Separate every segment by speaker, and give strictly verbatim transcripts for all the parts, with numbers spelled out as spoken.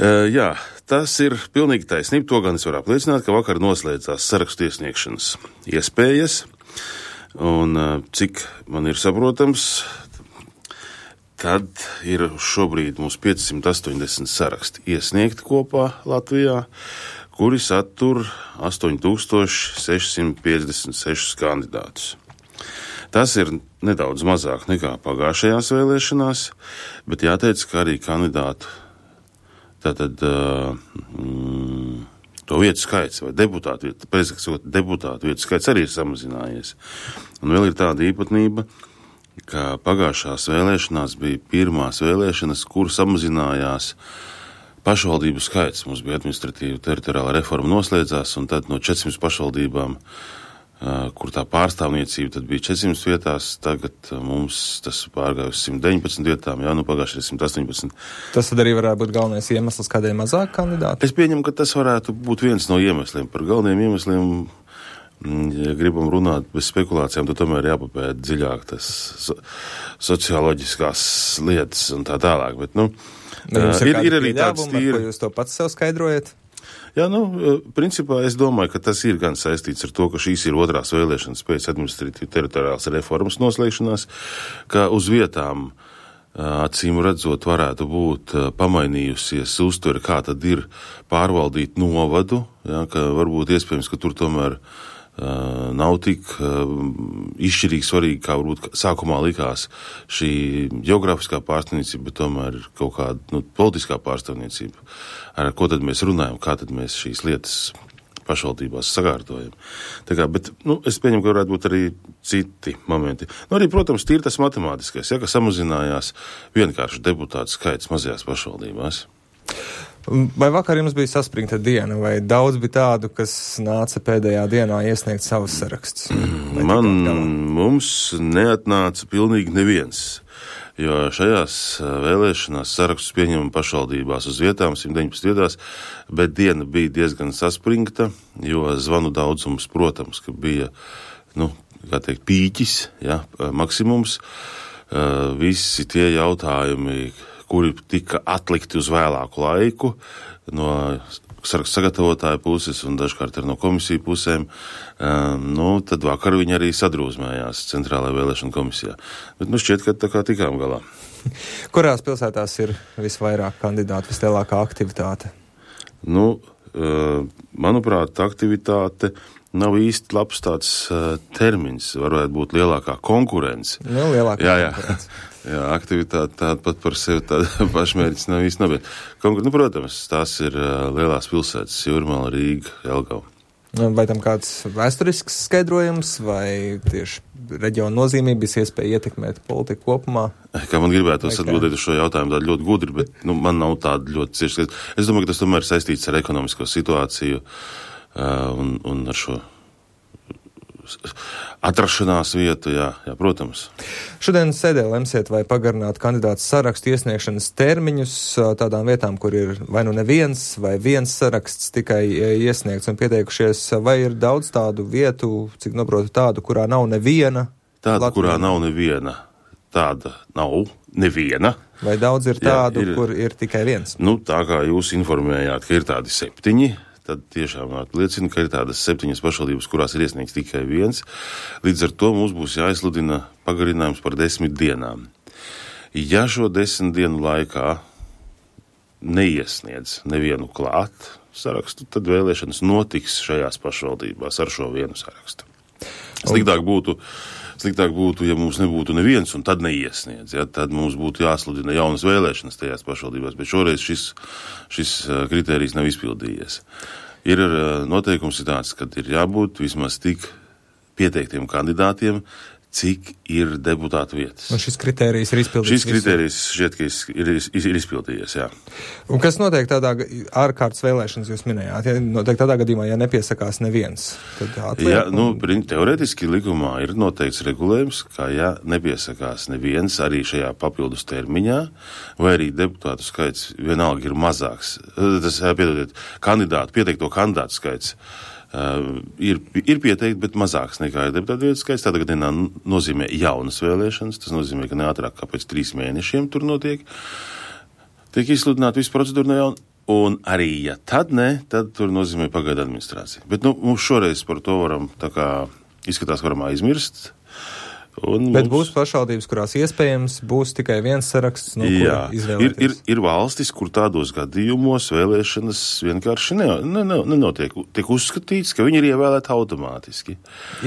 Speaker 1: Uh, jā, tas ir pilnīgi taisnība. To gan es varu apliecināt, ka vakar noslēdzās sarakstu iesniegšanas iespējas. Un uh, cik man ir saprotams, tad ir šobrīd mums piecsimt astoņdesmit saraksti iesniegti kopā Latvijā, kuri satur astoņi tūkstoši sešsimt piecdesmit sešus kandidātus. Tas ir nedaudz mazāk nekā pagājušajās vēlēšanās, bet jāteic, ka arī kandidātu tātad mm, to vietu skaits vai deputātu vietu, precīzāk deputātu vietu skaits arī ir samazinājies. Un vēl ir tāda īpatnība, ka pagājušās vēlēšanās bija pirmās vēlēšanas, kur samazinājās pašvaldību skaits. Mums bija administratīva teritoriāla reforma noslēdzās, un tad no četrsimt pašvaldībām, kur tā pārstāvniecība tad bija četrsimt vietās, tagad mums tas pārgāja uz simt deviņpadsmit vietām, jā, nu pagājušajā ir simt astoņpadsmit.
Speaker 2: Tas tad arī varētu būt galvenais iemesls, kādēļ mazāk kandidāti?
Speaker 1: Es pieņemu, ka tas varētu būt viens no iemesliem. Par galveniem iemesliem, ja gribam runāt bez spekulācijām, tad tomēr jāpapēta dziļāk tas so, socioloģiskās lietas un tā tālāk. Bet, nu,
Speaker 2: ir,
Speaker 1: ir, ir arī tāds tīri...
Speaker 2: Ko jūs to pats sev skaidrojat?
Speaker 1: Jā, nu, principā es domāju, ka tas ir gan saistīts ar to, ka šīs ir otrās vēlēšanas pēc administratīva teritoriālas reformas noslēgšanās, ka uz vietām acīm redzot varētu būt pamainījusies uztvere, kā tad ir pārvaldīt novadu, jā, ka varbūt iespējams, ka tur tomēr Uh, nav tik uh, izšķirīgi svarīgi, kā varbūt sākumā likās šī geogrāfiskā pārstāvniecība, bet tomēr kaut kāda nu, politiskā pārstāvniecība. Ar ko tad mēs runājam, kā tad mēs šīs lietas pašvaldībās sakārtojam. Tā kā, bet, nu, es pieņemu, ka varētu būt arī citi momenti. Nu, arī, protams, tīri tas matemātiskais, ja, ka samazinājās vienkārši deputātu skaits mazajās pašvaldībās.
Speaker 2: Vai vakar jums bija saspringta diena, vai daudz bija tādu, kas nāca pēdējā dienā iesniegt savus sarakstus?
Speaker 1: Man, mums neatnāca pilnīgi neviens, jo šajās vēlēšanās sarakstus pieņemam pašvaldībās uz vietām, simt deviņpadsmit vietās, bet diena bija diezgan saspringta, jo zvanu daudzums, protams, ka bija, nu, kā teikt, pīķis, ja, maksimums, visi tie jautājumi, kuri tika atlikti uz vēlāku laiku no sarakstu sagatavotāja puses un dažkārt arī no komisiju pusēm, um, nu, tad vakar viņi arī sadrūzmējās Centrālajā vēlēšana komisijā. Bet nu šķiet, ka tā kā tikām galā.
Speaker 2: Kurās pilsētās ir visvairāk kandidātu, vislielākā aktivitāte?
Speaker 1: Nu, uh, manuprāt, aktivitāte nav īsti labs tāds uh, termins, varētu būt lielākā konkurence.
Speaker 2: Nu, lielākā
Speaker 1: jā, jā.
Speaker 2: konkurence.
Speaker 1: Jā, aktivitāte tāda pat par sevi tāda pašmērķis nav īsti nav. Konkur... Nu, protams, tās ir uh, lielās pilsētas, Jūrmala, Rīga, Jelgava.
Speaker 2: Vai tam kāds vēsturisks skaidrojums, vai tieši reģiona nozīmības iespēja ietekmēt politiku kopumā?
Speaker 1: Kā man gribētos atbildēt uz šo jautājumu tādu ļoti gudri, bet nu, man nav tāda ļoti cieši. Es domāju, ka tas tomēr saistīts ar ekonomisko situāciju uh, un, un ar šo atrašanās vietu, jā, jā, protams.
Speaker 2: Šodien sēdē lemsiet, vai pagarināt kandidātu sarakstu iesniegšanas termiņus tādām vietām, kur ir vai nu neviens, vai viens saraksts tikai iesniegts un pieteikušies, vai ir daudz tādu vietu, cik noprotu tādu, kurā nav neviena?
Speaker 1: Tāda,
Speaker 2: Latvijā.
Speaker 1: Kurā nav neviena. Tāda nav neviena.
Speaker 2: Vai daudz ir tādu,
Speaker 1: jā, ir,
Speaker 2: kur ir tikai viens?
Speaker 1: Nu, tā kā jūs informējāt, ka ir tādi septiņi, tad tiešām liecina, ka ir tādas septiņas pašvaldības, kurās ir iesniegts tikai viens. Līdz ar to mums būs jāizsludina pagarinājums par desmit dienām. Ja šo desmit dienu laikā neiesniedz nevienu klāt sarakstu, tad vēlēšanas notiks šajās pašvaldībās ar šo vienu sarakstu. Sliktāk būtu, sliktāk būtu, ja mums nebūtu neviens un tad neiesniedz, ja, tad mums būtu jāsludina jaunas vēlēšanas tajās pašvaldībās, bet šoreiz šis, šis kritērijs nav izpildījies. Ir noteikums tāds, kad ir jābūt vismaz tik pieteiktiem kandidātiem, cik ir deputātu vietas.
Speaker 2: Un šis kritērijs ir izpildījies?
Speaker 1: Šis kritērijs šķiet, ka ir, ir, ir izpildījies, jā.
Speaker 2: Un kas notiek tādā ārkārtas vēlēšanas jūs minējāt? Ja notiek tādā gadījumā, ja nepiesakās neviens, tad atliek?
Speaker 1: Jā, nu, teorētiski likumā ir noteikts regulējums, ka ja nepiesakās neviens arī šajā papildus termiņā, vai arī deputātu skaits vienalga ir mazāks, tas, piedodiet, kandidātu, pieteikto kandidātu skaits, Uh, ir, ir pieteikti, bet mazāks nekā ir deputātu vietas skaits. Tādā gadījumā nozīmē jaunas vēlēšanas. Tas nozīmē, ka ne ātrāk kā pēc trīs mēnešiem tur notiek. Tiek izsludināta visa procedūra no jauna. Un arī, ja tad ne, tad tur nozīmē pagaidu administrācija. Bet, nu, mums šoreiz par to varam, tā kā izskatās, varam aizmirst. Un
Speaker 2: Bet
Speaker 1: mums...
Speaker 2: būs pašvaldības, kurās iespējams būs tikai viens saraksts, no
Speaker 1: Jā,
Speaker 2: kura izvēlēties.
Speaker 1: Ir, ir, ir valstis, kur tādos gadījumos vēlēšanas vienkārši ne, ne, ne, nenotiek. Tiek uzskatīts, ka viņi ir ievēlēti automātiski.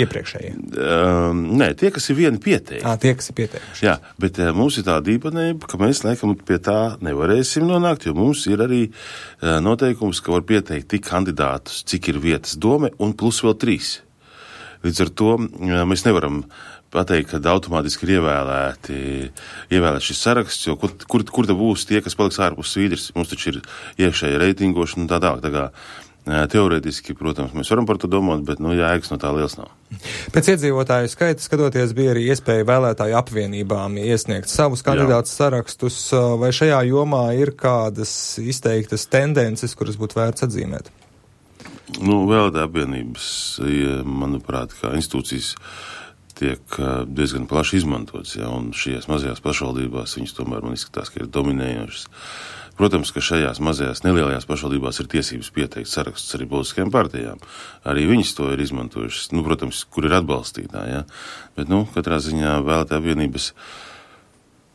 Speaker 2: Iepriekšējie?
Speaker 1: Um, nē, tie, kas ir vieni pieteikti.
Speaker 2: Ā, tie, kas ir pieteikuši.
Speaker 1: Jā, bet uh, mums ir tāda īpatnība, ka mēs, laikam, pie tā nevarēsim nonākt, jo mums ir arī uh, noteikums, ka var pieteikt tik kandidātus, cik ir vietas dome, un plus vēl trīs. Līdz ar to uh, mēs nevaram pateikt, ka automātiski ir ievēlēti, ievēlēt šis saraksts, jo kur, kur, kur te būs tie, kas paliks ārpus svīdrs. Mums taču ir iekšēja reitingošana un tā tālāk. Tā kā teorētiski, protams, mēs varam par to domāt, bet, nu, jēgas no tā liels nav.
Speaker 2: Pēc iedzīvotāju skaita, skatoties, bija arī iespēja vēlētāju apvienībām iesniegt savus kandidātus sarakstus, vai šajā jomā ir kādas izteiktas tendences, kuras būtu vērts atzīmēt?
Speaker 1: Nu, vēlētāju apvienības, manuprāt, kā institūcijas tiek diezgan plaši izmantots, ja, un šajās mazajās pašvaldībās viņas tomēr man izskatās, ka ir dominējošas. Protams, ka šajās mazajās nelielajās pašvaldībās ir tiesības pieteikt sarakstus arī politiskajām partijām. Arī viņas to ir izmantojušas, nu, protams, kur ir atbalstītāji, ja. Bet, nu, katrā ziņā vēlētāju apvienības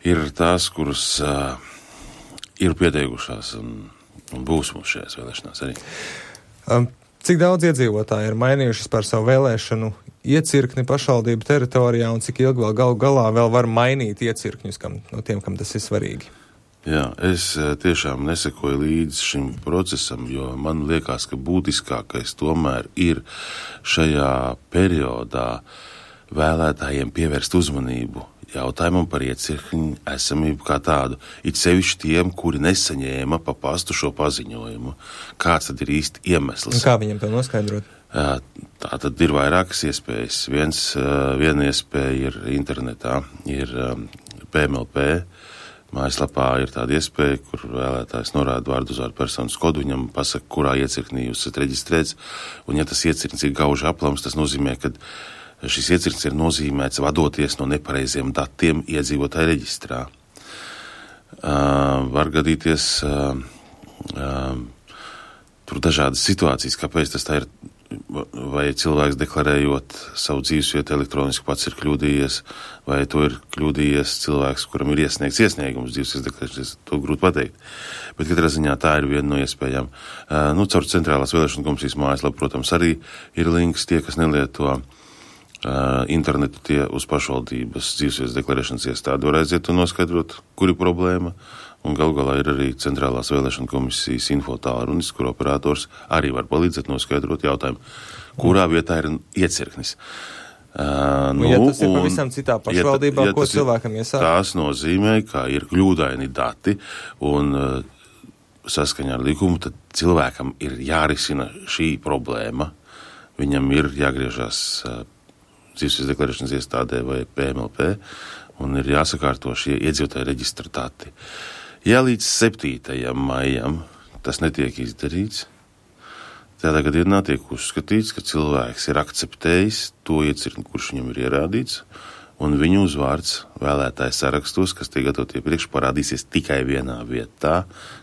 Speaker 1: ir tās, kuras uh, ir pieteikušās un, un būs mums šajās vēlēšanās arī.
Speaker 2: Um. Cik daudz iedzīvotāji ir mainījušas par savu vēlēšanu iecirkni pašvaldību teritorijā un cik ilgi vēl galu galā vēl var mainīt iecirkņus kam, no tiem, kam tas ir svarīgi?
Speaker 1: Jā, es tiešām nesekoju līdz šim procesam, jo man liekas, ka būtiskākais tomēr ir šajā periodā vēlētājiem pievērst uzmanību jautājumam par iecirkņu esamību kā tādu, it sevišķi tiem, kuri nesaņēma pa pastu šo paziņojumu. Kāds tad ir īsti iemesls?
Speaker 2: Un kā viņam to noskaidrot?
Speaker 1: Tā tad ir vairākas iespējas. Viens, viena iespēja ir internetā, ir P M L P. Mājaslapā ir tāda iespēja, kur vēlētājs norāda vārdu uzvārdu personas kodu, viņam pasaka, kurā iecirknī jūs esat reģistrēts, un ja tas iecirknis ir gauži aplams, tas nozīmē, ka šis iecirknis ir nozīmēts vadoties no nepareiziem datiem iedzīvotāju reģistrā. Uh, var gadīties uh, uh, tur dažādas situācijas, kāpēc tas tā ir, vai cilvēks deklarējot savu dzīvesvietu elektroniski pats ir kļūdījies, vai to ir kļūdījies cilvēks, kuram ir iesniegts iesniegums dzīvesvietas deklarēšanas, to grūti pateikt. Bet katrā ziņā tā ir viena no iespējām. Uh, nu, caur centrālās vēlēšanu komisijas mājaslapu, protams, arī ir links tie, kas nelieto Uh, internetu, tie uz pašvaldības dzīvesvietas deklarēšanas iestādi var aiziet un noskaidrot, kur ir problēma, un gal galā ir arī centrālās vēlēšana komisijas infotālrunis, kur operators arī var palīdzēt noskaidrot jautājumu, kurā vietā ir iecirknis. Uh, nu,
Speaker 2: un, ja tas ir pavisam citā pašvaldībā, ja, ja ko cilvēkam iesāk?
Speaker 1: Tas nozīmē, ka ir kļūdaini dati, un uh, saskaņā ar likumu, tad cilvēkam ir jārisina šī problēma, viņam ir jāgriežas uh, dzīvesvietas deklarēšanas iestādē vai P M L P, un ir jāsakārto šie iedzīvotāju reģistra dati. Ja līdz septītajam maijam tas netiek izdarīts, tādā gadījumā tiek uzskatīts, ka cilvēks ir akceptējis to iecirkni, kurš viņam ir ierādīts, un viņu uzvārds vēlētāju sarakstos, kas tiek gatavot iepriekš, parādīsies tikai vienā vietā,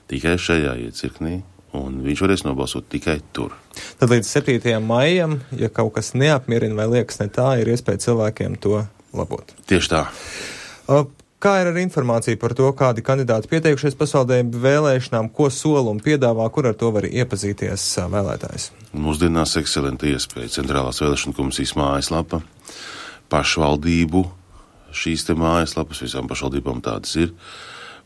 Speaker 1: tikai šajā iecirknī, un viņš varēs nobalsot tikai tur.
Speaker 2: Tad līdz septītajam maijam, ja kaut kas neapmierina vai liekas ne tā, ir iespēja cilvēkiem to labot.
Speaker 1: Tieši tā.
Speaker 2: Kā ir ar informāciju par to, kādi kandidāti pieteikušies pašvaldību vēlēšanām, ko sola un piedāvā, kur ar to var iepazīties vēlētājs?
Speaker 1: Mūsdienās ekscelenta iespēja. Centrālās vēlēšana komisijas mājaslapa, pašvaldību šīs te mājaslapas, visām pašvaldībām tādas ir.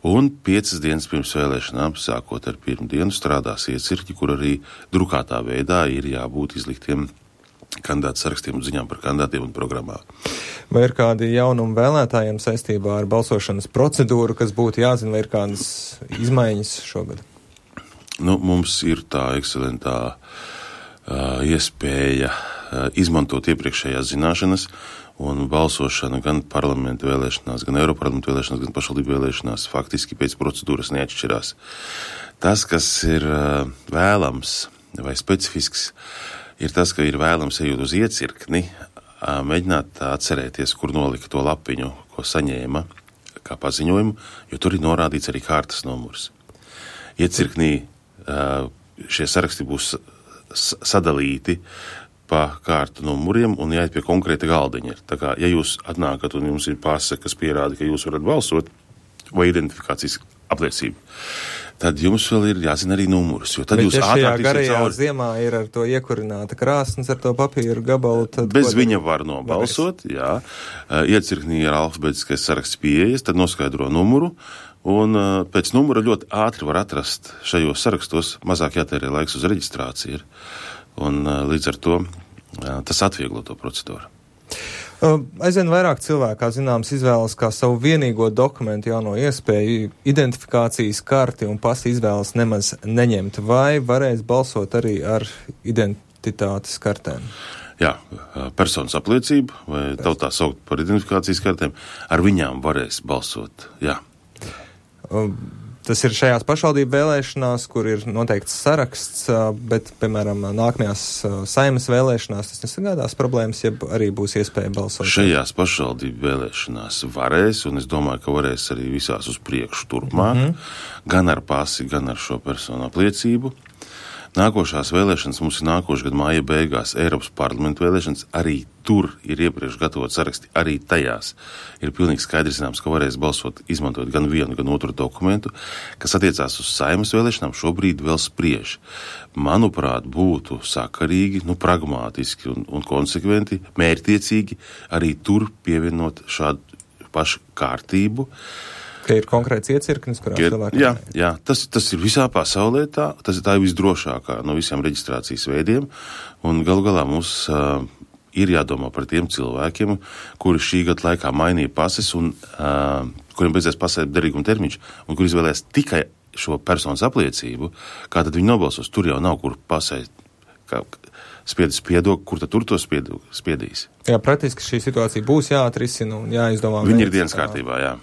Speaker 1: Un piecas dienas pirms vēlēšanām, sākot ar pirmdienu, strādās iecirkņi, kur arī drukātā veidā ir jābūt izliktiem kandidātu sarakstiem un ziņām par kandidātiem un programmām.
Speaker 2: Vai ir kādi jaunumi vēlētājiem saistībā ar balsošanas procedūru, kas būtu jāzina, vai ir kādas izmaiņas šogad?
Speaker 1: Nu, mums ir tā ekscelentā uh, iespēja uh, izmantot iepriekšējās zināšanas, un balsošana gan parlamentu vēlēšanās, gan Eiroparlamentu vēlēšanās, gan pašvaldību vēlēšanās faktiski pēc procedūras neatšķirās. Tas, kas ir uh, vēlams vai specifisks, ir tas, ka ir vēlams ejot uz iecirkni, uh, mēģināt atcerēties, kur nolika to lapiņu, ko saņēma kā paziņojumu, jo tur ir norādīts arī kārtas numurs. Iecirknī šie saraksti būs sadalīti pa kārtu numuriem un jāiet pie konkrēta galdiņa. Tā kā, ja jūs atnākat un jums ir pase, kas pierāda, ka jūs varat balsot, vai identifikācijas apliecība, tad jums vēl ir jāzina arī numurus. Jo tad
Speaker 2: Bet
Speaker 1: jūs
Speaker 2: ja šajā garajā
Speaker 1: cauri...
Speaker 2: ziemā ir ar to iekurināta krāsnes, ar to papīru gabalu, tad...
Speaker 1: Bez viņa var nobalsot, varēs. Jā. Iecirknī ir alfabētiskais saraksts pieejas, tad noskaidro numuru, un pēc numura ļoti ātri var atrast šajos sarakstos, mazāk jātērē laiks uz reģistrāciju. Un līdz ar to tas atvieglo to procedūru.
Speaker 2: Aizvien vairāk cilvēku, kā zināms, izvēlas kā savu vienīgo dokumentu jauno iespēju identifikācijas karti un pasi izvēlas nemaz neņemt. Vai varēs balsot arī ar identitātes kartēm?
Speaker 1: Jā, personas apliecība, vai tautā saukt par identifikācijas kartēm, ar viņām varēs balsot, jā.
Speaker 2: Tas ir šajās pašvaldību vēlēšanās, kur ir noteikts saraksts, bet, piemēram, nākamajās Saeimas vēlēšanās tas nesagādās problēmas, ja arī būs iespēja balsot.
Speaker 1: Šajās pašvaldību vēlēšanās varēs, un es domāju, ka varēs arī visās uz priekšu turpmāk, mm-hmm. gan ar pasi, gan ar šo personu apliecību. Nākošās vēlēšanas mums ir nākošais gadu māja beigās Eiropas parlamentu vēlēšanas, arī tur ir iepriekš gatavot saraksti, arī tajās ir pilnīgi skaidrs zināms, ka varēs balsot, izmantot gan vienu, gan otru dokumentu, kas attiecās uz Saeimas vēlēšanām, šobrīd vēl spriež. Manuprāt, būtu sakarīgi, nu, pragmātiski un, un konsekventi, mērķtiecīgi arī tur pievienot šādu pašu kārtību.
Speaker 2: Ka ir konkrēts iecirknis, kurā cilvēki...
Speaker 1: Jā, jā tas, tas ir visā pasaulē tā, tas tā ir visdrošākā no visiem reģistrācijas veidiem, un galu galā mums uh, ir jādomā par tiem cilvēkiem, kuri šī gada laikā mainīja pases un uh, kuriem beidzēs pasēt derīguma termiņš, un kuri izvēlēs tikai šo personas apliecību, kā tad viņi nobalsos, tur jau nav kur pasēt, kā spiedis spiedok, kur tad tur to spiedu, spiedīs.
Speaker 2: Jā, praktiski šī situācija būs jāatrisina un jāizdomā.
Speaker 1: Viņi ir dienas kārtībā, jā.